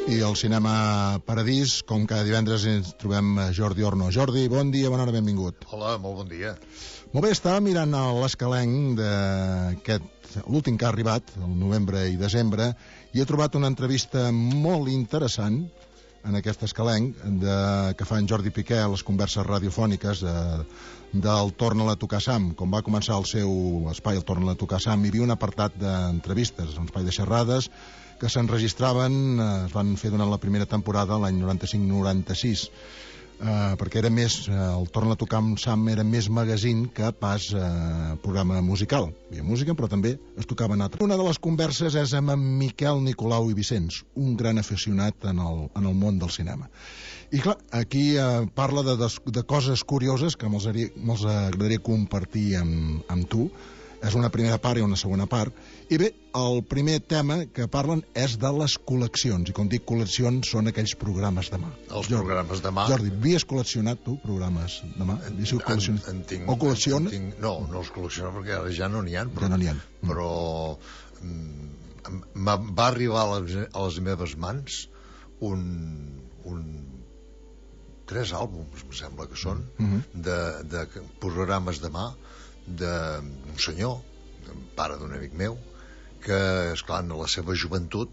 I al Cinema Paradís, com cada divendres, ens trobem Jordi Orno. Jordi, bon dia, bona hora, benvingut. Hola, molt bon dia. Molt bé, estava mirant l'escalenc d'aquest, l'últim que ha arribat, el novembre i desembre, i he trobat una entrevista molt interessant en aquest escalenc que fa en Jordi Piqué a les converses radiofòniques del Torna-la a tocar Sam. Com va començar el seu espai, el Torna-la a tocar Sam, hi havia un apartat d'entrevistes, un espai de xerrades que s'enregistraven, es van fer durant la primera temporada, l'any 95-96, perquè era més, el Torna-la a tocar Sam era més magazine que pas programa musical. Hi havia música, però també es tocaven altres. Una de les converses és amb en Miquel Nicolau i Vicenç, un gran aficionat en el món del cinema. I clar, aquí parla de coses curioses que me'ls agradaria compartir amb tu. És una primera part i una segona part. I bé, el primer tema que parlen és de les col·leccions. I quan dic col·leccions són aquells programes de mà. Els programes de mà. Jordi, havies col·leccionat tu programes de mà? En tinc. O col·lecciona? No els col·lecciono perquè ara ja no n'hi ha. Ja no n'hi ha. Però va arribar a les meves mans tres àlbums, em sembla que són, de programes de mà d'un senyor, pare d'un amic meu, que, esclar, en la seva joventut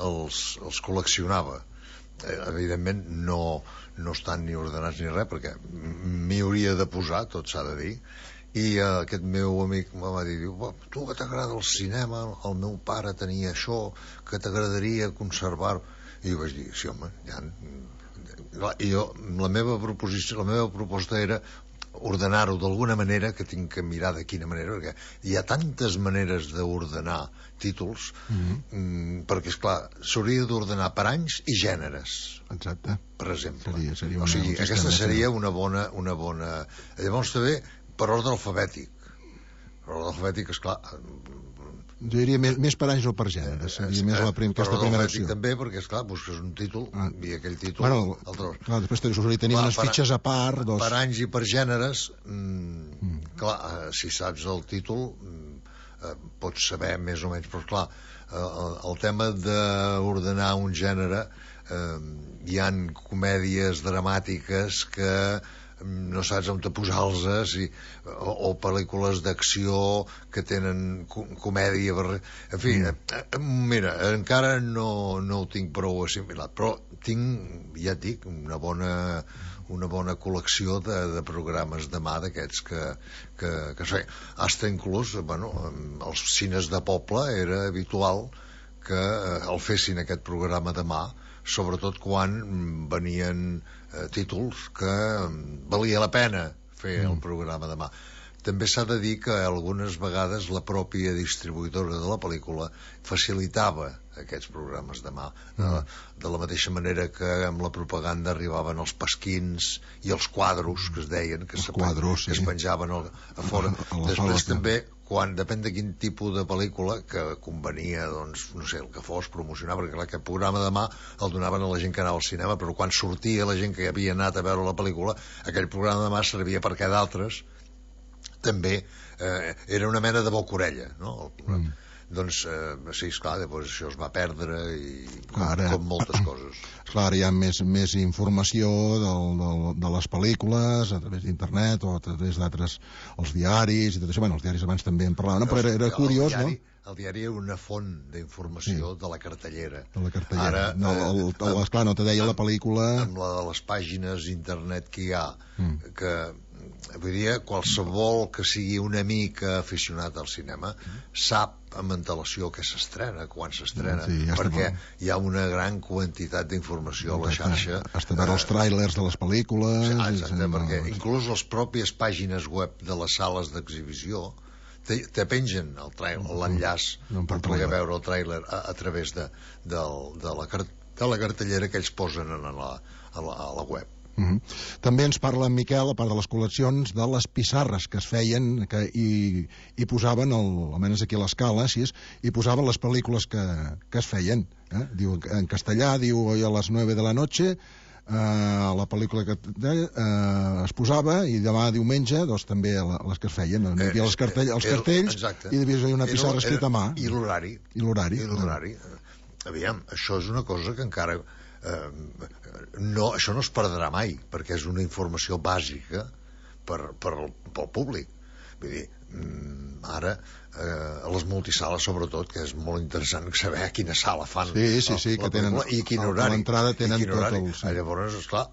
els col·leccionava. Evidentment no estan ni ordenats ni res, perquè m'hi hauria de posar, tot s'ha de dir. I aquest meu amic em va dir, tu que t'agrada el cinema, el meu pare tenia això, que t'agradaria conservar. I jo vaig dir, sí, home, i jo, la meva proposta era ordenar-ho d'alguna manera, que tinc que mirar de quina manera, perquè hi ha tantes maneres d'ordenar títols, perquè, esclar, s'hauria d'ordenar per anys i gèneres. Exacte. Per exemple. Seria o sigui, aquesta seria una bona... Llavors també per ordre alfabètic. Per ordre alfabètic, esclar... Jo diria més per anys o per gèneres. Seria més aquesta primera opció. També, perquè, esclar, busques un títol i aquell títol... Bueno, clar, després tenir unes fitxes a part... Per anys i per gèneres, clar, si saps el títol, pots saber més o menys, però, clar, el tema d'ordenar un gènere, hi han comèdies dramàtiques que no saps on te posar-los, o pel·lícules d'acció que tenen comèdia, en fi, mira, encara no ho tinc prou assimilat, però tinc, ja et dic, una bona col·lecció de programes de mà d'aquests que sé, hasta inclús, bueno, als cines de poble era habitual que el fessin aquest programa de mà, sobretot quan venien títols que valia la pena fer el programa de mà. També s'ha de dir que algunes vegades la pròpia distribuïdora de la pel·lícula facilitava aquests programes de mà, de la mateixa manera que amb la propaganda arribaven els pasquins i els quadros, que es deien, que es penjaven a fora. Després també, depèn de quin tipus de pel·lícula que convenia, doncs, no sé, el que fos, promocionar, perquè aquest programa de mà el donaven a la gent que anava al cinema, però quan sortia la gent que havia anat a veure la pel·lícula, aquell programa de mà servia perquè d'altres també era una mena de boca-orella, no? Doncs, sí, esclar, després això es va perdre com moltes coses. Clar, ara hi ha més informació de les pel·lícules a través d'internet o a través d'altres, els diaris i tot això. Bueno, els diaris abans també en parlaven, però era curiós, no? El diari era una font d'informació de la cartellera. De la cartellera. Esclar, no te deia la pel·lícula... Amb les pàgines d'internet que hi ha, que... Vull dir, qualsevol que sigui una mica aficionat al cinema sap amb antelació que s'estrena, quan s'estrena, perquè hi ha una gran quantitat d'informació a la xarxa. Hasta veure els tràilers de les pel·lícules... Exacte, perquè inclús les pròpies pàgines web de les sales d'exhibició te pengen l'enllaç per poder veure el tràiler a través de la cartellera que ells posen a la web. També ens parla en Miquel, a part de les col·leccions, de les pissarres que es feien i posaven, almenys aquí a l'Escala, i posaven les pel·lícules que es feien. Diu, en castellà, diu, hoy a las 9 de la noche, la pel·lícula que es posava, i demà diumenge doncs també les que es feien, hi havia els cartells i devies haver una pissarra escrita a mà i l'horari. aviam, això és una cosa que encara això no es perdrà mai, perquè és una informació bàsica pel públic. Vull dir, ara a les multisales sobretot, que és molt interessant saber a quina sala fan sí, que tenen i quin horari, l'entrada tenen tot el... Llavors, esclar,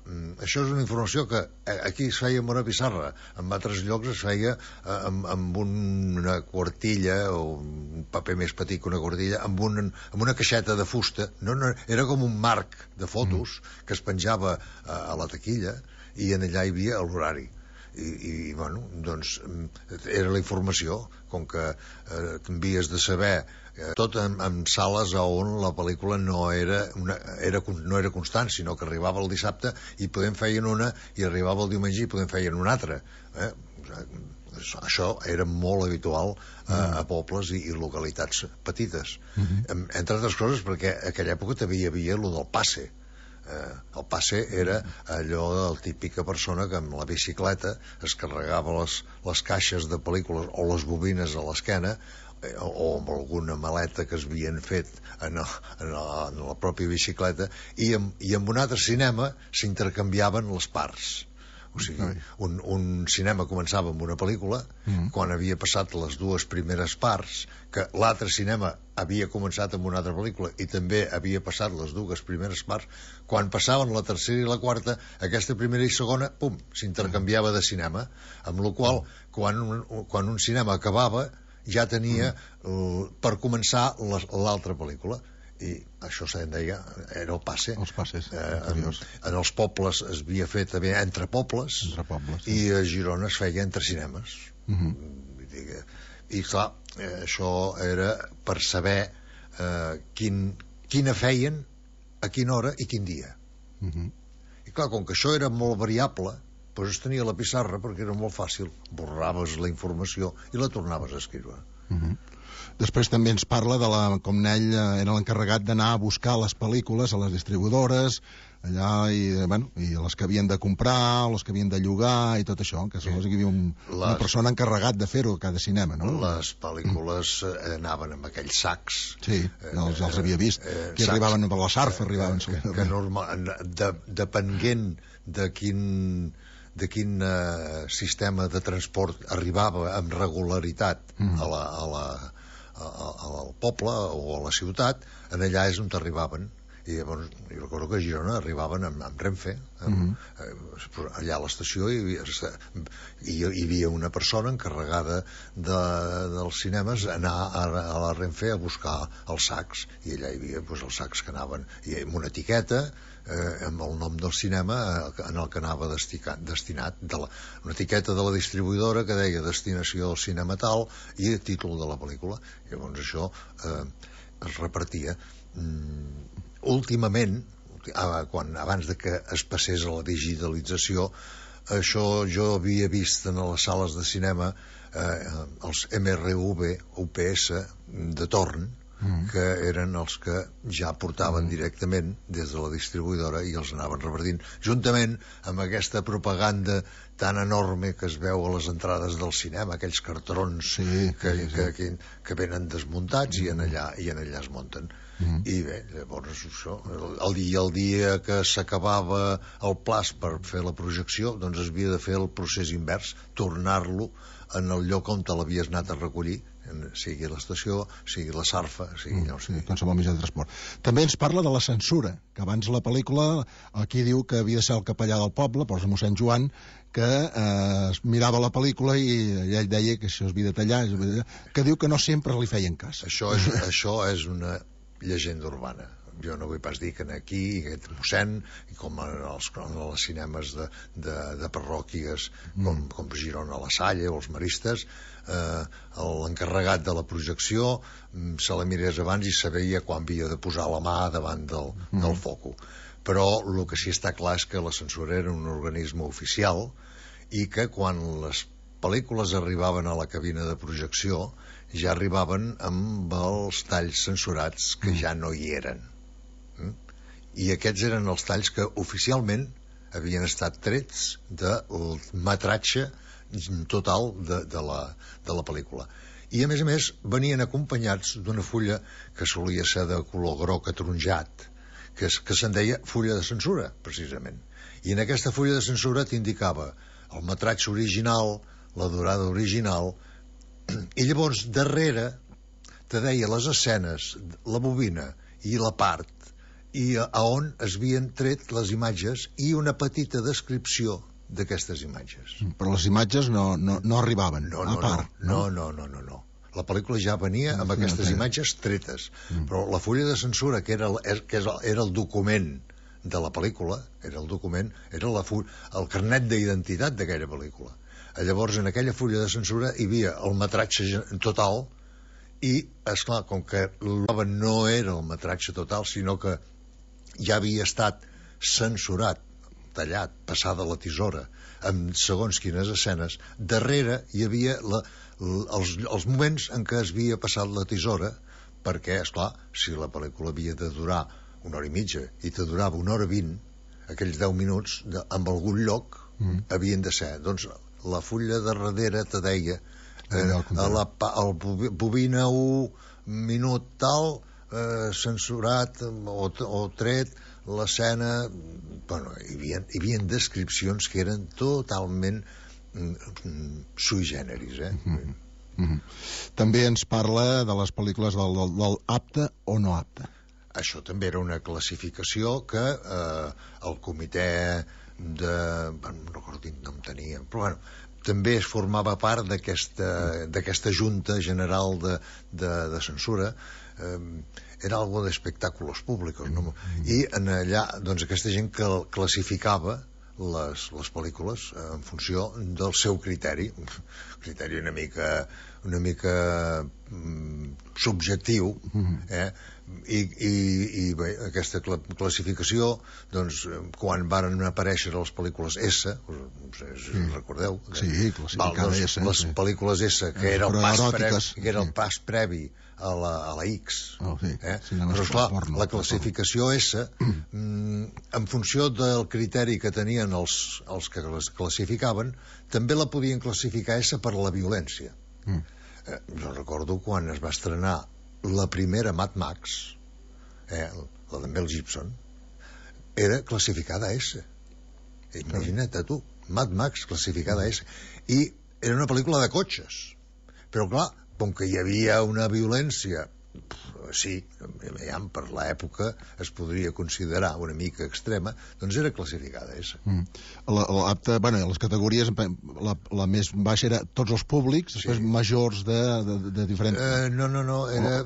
això és una informació que aquí es feia amb una pissarra, en altres llocs es feia amb una quartilla o un paper més petit que una quartilla, amb una caixeta de fusta. No, era com un marc de fotos que es penjava a la taquilla i en allà hi havia l'horari. I bueno, doncs era la informació, com que t'havies de saber tot en sales on la pel·lícula no era constant, sinó que arribava el dissabte i podem feien una, i arribava el diumenge i podem feien una altra. Això era molt habitual a pobles i localitats petites, entre altres coses perquè a aquella època també hi havia el del passe. El passe era allò de la típica persona que amb la bicicleta es carregava les caixes de pel·lícules o les bobines a l'esquena, o amb alguna maleta que es havien fet en la pròpia bicicleta, i amb un altre cinema s'intercanviaven les parts. O sigui, un cinema començava amb una pel·lícula, quan havia passat les dues primeres parts, que l'altre cinema havia començat amb una altra pel·lícula i també havia passat les dues primeres parts, quan passaven la tercera i la quarta, aquesta primera i segona, pum, s'intercanviava de cinema, amb la qual quan un cinema acabava ja tenia per començar l'altra pel·lícula. I això se'n deia, era el passe. Els passes en els pobles es havia fet també entre pobles, i a Girona es feia entre cinemes. I clar, això era per saber quina feien, a quina hora i quin dia. I clar, com que això era molt variable, doncs es tenia la pissarra perquè era molt fàcil, borraves la informació i la tornaves a escriure. Després també ens parla de com ell era l'encarregat d'anar a buscar les pel·lícules a les distribuïdores, allà, i les que havien de comprar, les que havien de llogar i tot això, que hi havia una persona encarregat de fer-ho a cada cinema, no? Les pel·lícules anaven amb aquells sacs. Sí, els havia vist, que arribaven per la Sarfa, arribaven. Que depenent de quin sistema de transport arribava amb regularitat al poble o a la ciutat, en allà és on t'arribaven. I llavors jo recordo que a Girona arribaven amb Renfe, allà a l'estació hi havia una persona encarregada dels cinemes anar a la Renfe a buscar els sacs, i allà hi havia els sacs que anaven amb una etiqueta amb el nom del cinema en el que anava destinat, una etiqueta de la distribuïdora que deia destinació del cinema tal i el títol de la pel·lícula. Llavors això es repartia. Últimament, abans de que es passés a la digitalització, això jo havia vist en les sales de cinema els MRV UPS de torn, que eren els que ja portaven directament des de la distribuïdora i els anaven repartint, juntament amb aquesta propaganda tan enorme que es veu a les entrades del cinema, aquells cartrons que venen desmuntats i en allà es munten. I bé, llavors això, el dia que s'acabava el plaç per fer la projecció, doncs es havia de fer el procés invers, tornar-lo en el lloc on te l'havies anat a recollir, sigui l'estació, sigui la Sarfa, sigui allò. Qualsevol mitjà de transport. També ens parla de la censura, que abans la pel·lícula, aquí diu que havia de ser el capellà del poble, posa mossèn Joan, que es mirava la pel·lícula i ell deia que això es havia de tallar, que diu que no sempre li feien cas. Això és una llegenda urbana. Jo no vull pas dir que aquí aquest mossèn, com en els cinemes de parròquies com Girona La Salle o els Maristes, l'encarregat de la projecció se la mirés abans i sabia quan havia de posar la mà davant del foco. Però el que sí està clar és que la censura era un organisme oficial i que quan les pel·lícules arribaven a la cabina de projecció ja arribaven amb els talls censurats que ja no hi eren. I aquests eren els talls que oficialment havien estat trets del metratge total de la pel·lícula. I a més venien acompanyats d'una fulla que solia ser de color groc ataronjat, que se'n deia fulla de censura, precisament. I en aquesta fulla de censura t'indicava el metratge original, la durada original, i llavors darrere te deia les escenes, la bobina i la part, i a on es havien tret les imatges i una petita descripció d'aquestes imatges. Però les imatges no arribaven a part. No. La pel·lícula ja venia amb aquestes imatges tretes, però la fulla de censura, que era el document de la pel·lícula, era el carnet d'identitat d'aquella pel·lícula. Llavors, en aquella fulla de censura hi havia el metratge total i, esclar, com que l'obra no era el metratge total, sinó que ja havia estat censurat, tallat, passada la tisora, amb segons quines escenes, darrere hi havia els moments en què es havia passat la tisora, perquè, esclar, si la pel·lícula havia de durar 1 hora i mitja i te durava 1 hora 20, aquells 10 minuts, en algun lloc havien de ser. Doncs la fulla de darrere te deia el bobina 1 minut tal, censurat o tret l'escena. Bueno, hi havia descripcions que eren totalment sui generis, També ens parla de les pel·lícules del apte o no apte. Això també era una classificació que el comitè no recordo quin nom tenia, però bueno, també es formava part d'aquesta junta general de censura. Era algo de espectáculos públicos, no? I en allà, doncs, aquesta gent que classificava les pel·lícules en funció del seu criteri una mica subjectiu, i bé, aquesta classificació, doncs, quan varen aparèixer les pel·lícules S, recordeu? Sí, classificada S. Les pel·lícules S, que era el pas previ a la X, però esclar, la classificació S, en funció del criteri que tenien els que les classificaven, també la podien classificar S per la violència. Jo recordo quan es va estrenar la primera Mad Max, la de Mel Gibson, era classificada S. Imagina't tu, Mad Max classificada S, i era una pel·lícula de cotxes, però clar, com que hi havia una violència, sí, per l'època es podria considerar una mica extrema, doncs era classificada S. Les categories, la més baixa era tots els públics, després majors de diferents... No, era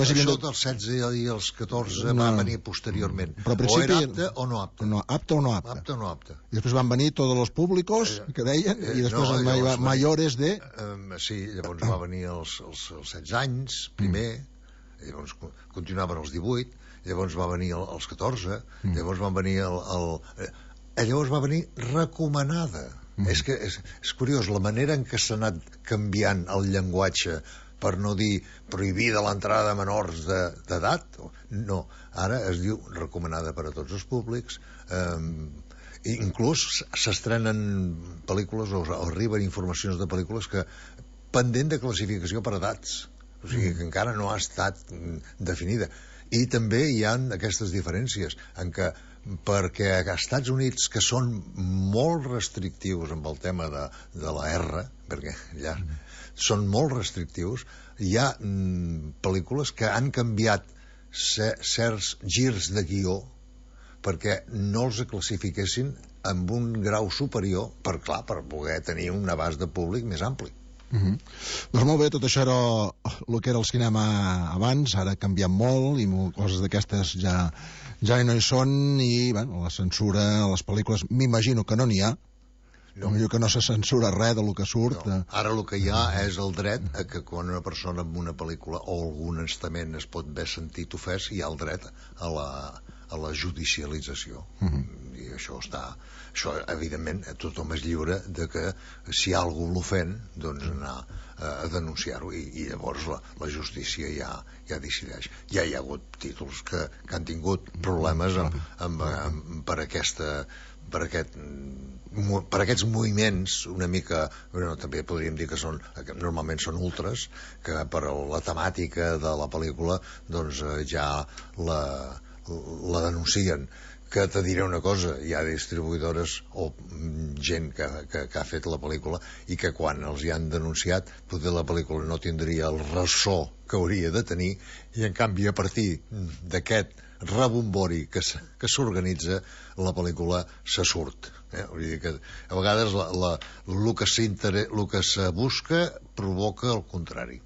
això dels 16 i els 14 va venir posteriorment. O era apte o no apte. Apte o no apte. Apte o no apte. I després van venir tots els públicos, que deien, i després mayores de... Sí, llavors va venir els 16 anys, primer, llavors continuaven els 18, llavors va venir els 14, llavors van venir llavors va venir recomanada. És que és curiós la manera en què s'ha anat canviant el llenguatge, per no dir prohibida l'entrada de menors d'edat. No, ara es diu recomanada per a tots els públics. Inclús s'estrenen pel·lícules o arriben informacions de pel·lícules que pendent de classificació per edats, o sigui que encara no ha estat definida. I també hi ha aquestes diferències en què, perquè als Estats Units, que són molt restrictius amb el tema de la R, perquè allà són molt restrictius, hi ha pel·lícules que han canviat certs girs de guió perquè no els classifiquessin amb un grau superior per poder tenir un abast de públic més ampli. Doncs molt bé, tot això era el que era el cinema abans, ara ha canviat molt i coses d'aquestes ja no hi són, i la censura a les pel·lícules m'imagino que no n'hi ha, m'imagino que no se censura res del que surt. Ara el que hi ha és el dret a que quan una persona en una pel·lícula o algun estament es pot haver sentit ofès, hi ha el dret a la judicialització. I això evidentment tothom és lliure de que si algú l'ofèn, doncs anar a denunciar-ho, i llavors la justícia ja decideix. Ja hi ha hagut títols que han tingut problemes per per aquests moviments una mica, bueno, també podríem dir que normalment són ultras, que per la temàtica de la pel·lícula doncs ja la denuncien. Que te diré una cosa, hi ha distribuïdores o gent que ha fet la pel·lícula i que quan els hi han denunciat potser la pel·lícula no tindria el ressò que hauria de tenir, i en canvi a partir d'aquest rebombori que s'organitza la pel·lícula se surt. Vull dir que a vegades el que se busca provoca el contrari.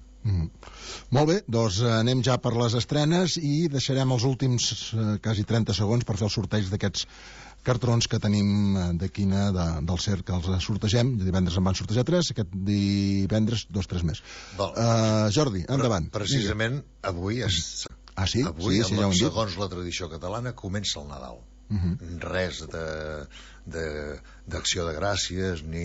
Molt bé, doncs anem ja per les estrenes i deixarem els últims quasi 30 segons per fer el sorteig d'aquests cartrons que tenim de quina del CERC, que els sortegem. Divendres en van sortejar 3, aquest divendres 2-3 més. Jordi, endavant. Precisament avui sí? Avui, Sí, ja ho hem dit. segons la tradició catalana, comença el Nadal. Res d'acció de gràcies ni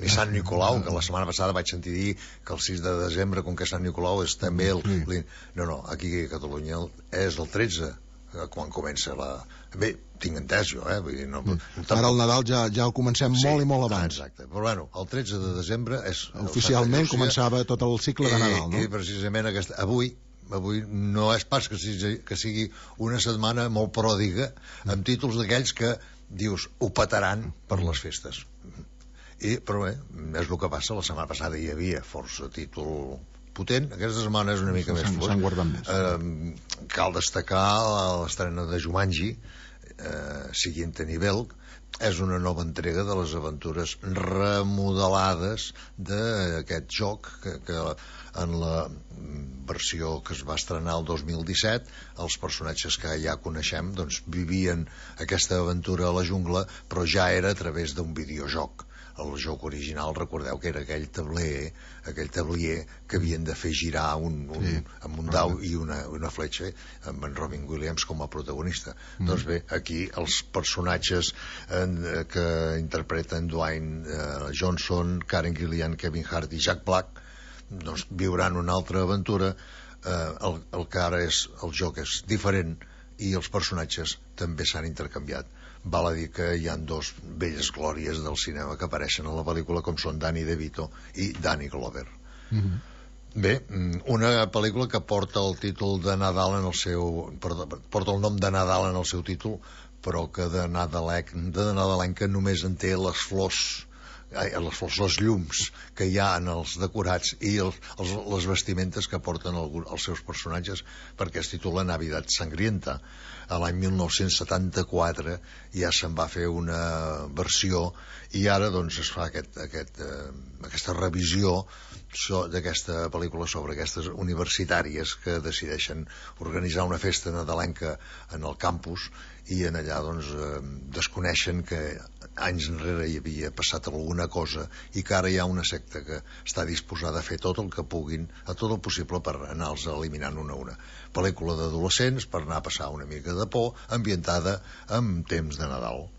Sant Nicolau, que la setmana passada vaig sentir dir que el 6 de desembre, com que Sant Nicolau és també no, aquí a Catalunya és el 13 quan comença bé, tinc entès jo, vull dir, no, ara el Nadal ja el comencem molt i molt abans. Exacte, però bueno, el 13 de desembre és oficialment començava tot el cicle de Nadal, no? I precisament avui no és pas que sigui una setmana molt pròdiga amb títols d'aquells que dius ho petaran per les festes, però bé, és el que passa. La setmana passada hi havia força títol potent, aquesta setmana és una mica més fluix. S'han guardat més. Cal destacar l'estrena de Jumanji, Siguiente Nivel. És una nova entrega de les aventures remodelades d'aquest joc que en la versió que es va estrenar el 2017 els personatges que ja coneixem doncs vivien aquesta aventura a la jungla, però ja era a través d'un videojoc. El joc original, recordeu que era aquell tablier que havien de fer girar amb un dau i una fletxa, amb en Robin Williams com a protagonista. Doncs bé, aquí els personatges que interpreten Dwayne Johnson, Karen Gillian, Kevin Hart i Jack Black doncs viuran una altra aventura. El que ara el joc és diferent i els personatges també s'han intercanviat. Val a dir que hi ha dos velles glòries del cinema que apareixen a la pel·lícula, com són Danny DeVito i Danny Glover. Bé, una pel·lícula que porta el títol de Nadal porta el nom de Nadal en el seu títol, però que de nadalenca només en té les flors, les llums que hi ha en els decorats i les vestimentes que porten els seus personatges, perquè es titula Navidad Sangrienta. A l'any 1974 ja se'n va fer una versió i ara doncs es fa aquesta revisió d'aquesta pel·lícula sobre aquestes universitàries que decideixen organitzar una festa nadalenca en el campus i en allà doncs desconeixen que anys enrere hi havia passat alguna cosa i que ara hi ha una secta que està disposada a fer tot el que puguin, a tot el possible per anar-los eliminant una a una. Pel·lícula d'adolescents per anar a passar una mica de por, ambientada en temps de Nadal.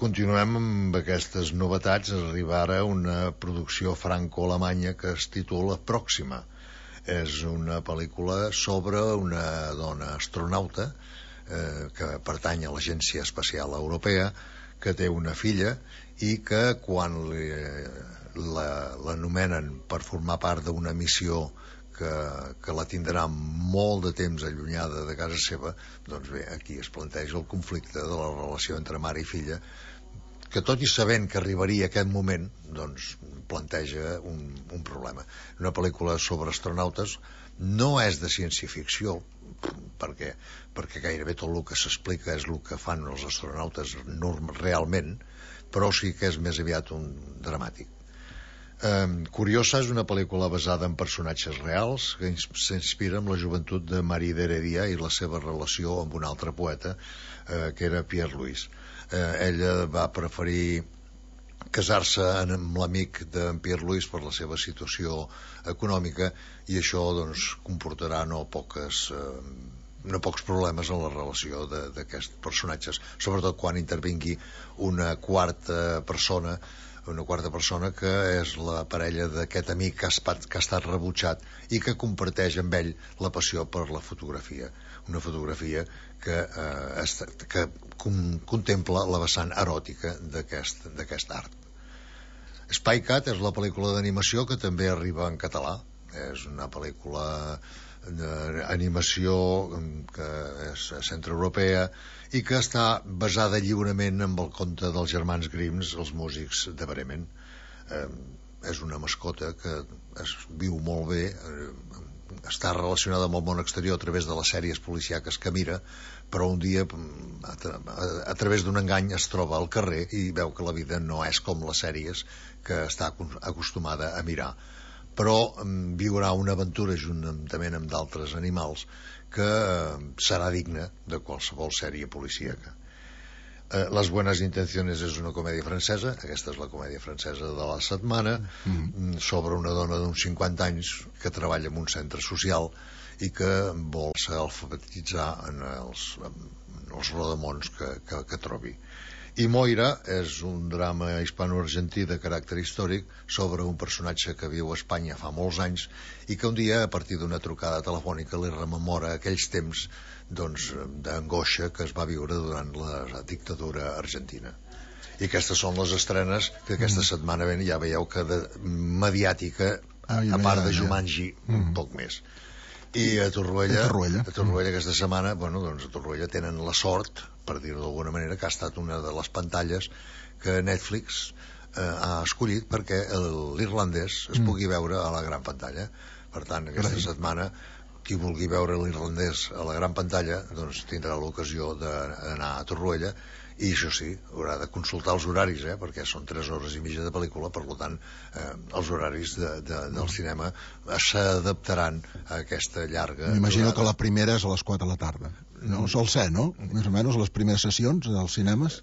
Continuem amb aquestes novetats. Arriba ara una producció franco-alemanya que es titula Pròxima. És una pel·lícula sobre una dona astronauta que pertany a l'Agència Espacial Europea, que té una filla i que quan l'anomenen per formar part d'una missió que la tindrà molt de temps allunyada de casa seva, doncs bé, aquí es planteja el conflicte de la relació entre mare i filla, que tot i sabent que arribaria aquest moment, doncs planteja un problema. Una pel·lícula sobre astronautes no és de ciència-ficció, perquè gairebé tot el que s'explica és el que fan els astronautes realment, però sí que és més aviat un dramàtic. Curiosa és una pel·lícula basada en personatges reals que s'inspira en la joventut de Marie d'Heredia i la seva relació amb un altre poeta que era Pierre Louis. Ella va preferir casar-se amb l'amic d'en Pierre Louis per la seva situació econòmica i això doncs comportarà no pocs problemes en la relació d'aquests personatges, sobretot quan intervingui una quarta persona una quarta persona que és la parella d'aquest amic que ha estat rebutjat i que comparteix amb ell la passió per la fotografia, una fotografia que contempla la vessant eròtica d'aquest art. Spy Cat és la pel·lícula d'animació que també arriba en català. És una pel·lícula d'animació que és centroeuropea i que està basada lliurement amb el conte dels germans Grimms, els músics de Bremen. És una mascota que es viu molt bé, està relacionada amb el món exterior a través de les sèries policíaques que mira, però un dia a través d'un engany es troba al carrer i veu que la vida no és com les sèries que està acostumada a mirar, però viurà una aventura juntament amb d'altres animals que serà digna de qualsevol sèrie policíaca. Las buenas intenciones és una comèdia francesa, aquesta és la comèdia francesa de la setmana, sobre una dona d'uns 50 anys que treballa en un centre social i que vol ser alfabetitzar en els rodamons que trobi. I Moira és un drama hispano-argentí de caràcter històric sobre un personatge que viu a Espanya fa molts anys i que un dia, a partir d'una trucada telefònica, li rememora aquells temps d'angoixa que es va viure durant la dictadura argentina. I aquestes són les estrenes que aquesta setmana ja veieu que de mediàtica, a part de Jumanji, un poc més. I a Torroella aquesta setmana, a Torroella tenen la sort, per dir-ho d'alguna manera, que ha estat una de les pantalles que Netflix ha escollit perquè l'irlandès es pugui veure a la gran pantalla. Per tant, aquesta setmana qui vulgui veure l'irlandès a la gran pantalla tindrà l'ocasió d'anar a Torroella, i això sí, haurà de consultar els horaris, perquè són 3 hores i mitja de pel·lícula, per tant els horaris del cinema s'adaptaran a aquesta llarga... M'imagino que la primera és a les 4 de la tarda. No sol ser, no? Més o menys les primeres sessions dels cinemes?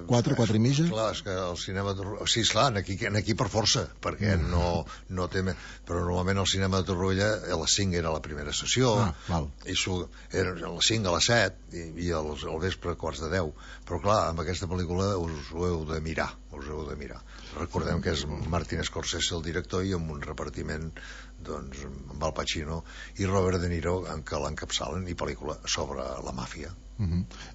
4 i mitja? Clar, és que el cinema... Sí, esclar, aquí per força, perquè no té... Però normalment el cinema de Torroella a les 5 era la primera sessió, i era a les 5, a les 7, i al vespre a quarts de 10. Però clar, amb aquesta pel·lícula us ho heu de mirar, Recordem que és Martin Scorsese el director i amb un repartiment amb Al Pacino i Robert De Niro que l'encapçalen, i pel·lícula sobre la màfia.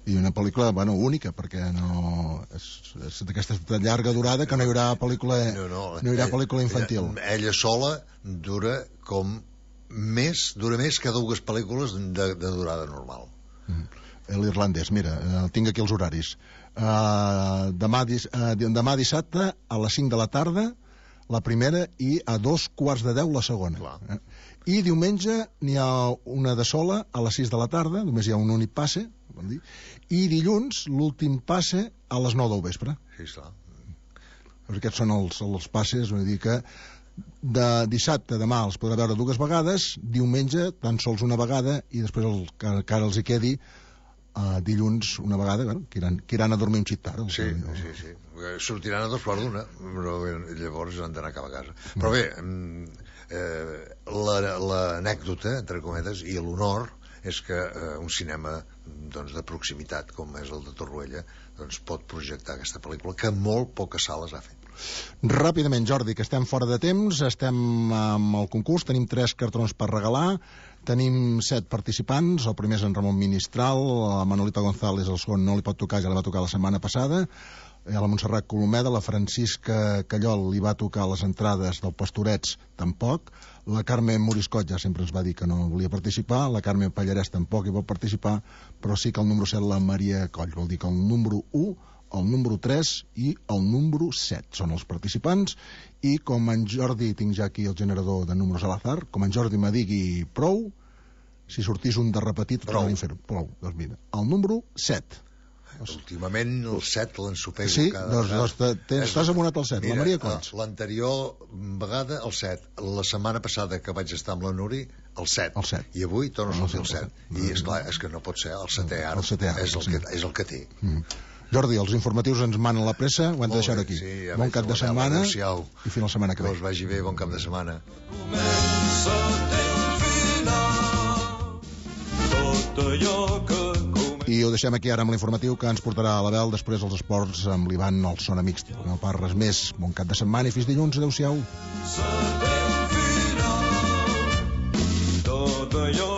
I una pel·lícula, única, perquè no és d'aquesta llarga durada que no hi haurà pel·lícula infantil. Ella sola dura més que 2 pel·lícules de durada normal. L'irlandès, mira, tinc aquí els horaris. Demà dissabte a les 5 de la tarda la primera i a 2:15 la segona. I diumenge n'hi ha una de sola a les 6 de la tarda, només hi ha un únic passe, i dilluns l'últim passe a les 9 del vespre. Sí, clar. Aquests són els passes, vull dir que de dissabte demà els podrà veure 2 vegades, diumenge tan sols una vegada, i després el que encara els hi quedi dilluns una vegada, que iran a dormir un xic tard. Sí. Sortiran a 2:15, però llavors han d'anar cap a casa. Però bé, l'anècdota, entre cometes, i l'honor és que un cinema de proximitat com és el de Torroella pot projectar aquesta pel·lícula que molt poques sales ha fet. Ràpidament, Jordi, que estem fora de temps, estem amb el concurs, tenim 3 cartrons per regalar, tenim 7 participants, el primer és en Ramon Ministral, la Manolita González, el segon no li pot tocar, ja li va tocar la setmana passada, a la Montserrat Colomeda, la Francisca Callol li va tocar les entrades del Pastorets, tampoc, la Carme Moriscot ja sempre ens va dir que no volia participar, la Carme Pallarès tampoc hi pot participar, però sí que el número 7 la Maria Coll, vol dir que el número 1, el número 3 i el número 7 són els participants, i com en Jordi, tinc ja aquí el generador de números a l'azar, com en Jordi me digui prou, si sortís un de repetit prou, doncs mira, el número 7. Últimament el 7 l'ensopego. Sí, doncs t'has abonat al 7. Mira, la Maria Cots. L'anterior vegada el 7, la setmana passada que vaig estar amb la Nuri el 7, i avui torno a sortir el 7, i esclar, és que no pot ser el 7è ara, és el que té. Jordi, els informatius ens manen la pressa, ho hem de deixar aquí. Bon cap de setmana i fins la setmana que ve. Que us vagi bé, bon cap de setmana. Comença el final, tot allò que comença. I ho deixem aquí ara amb l'informatiu que ens portarà a l'Abel, després els esports amb l'Ivan al Sona Mixta. No pas res més. Bon cap de setmana i fins dilluns. Adéu-siau. Tot allò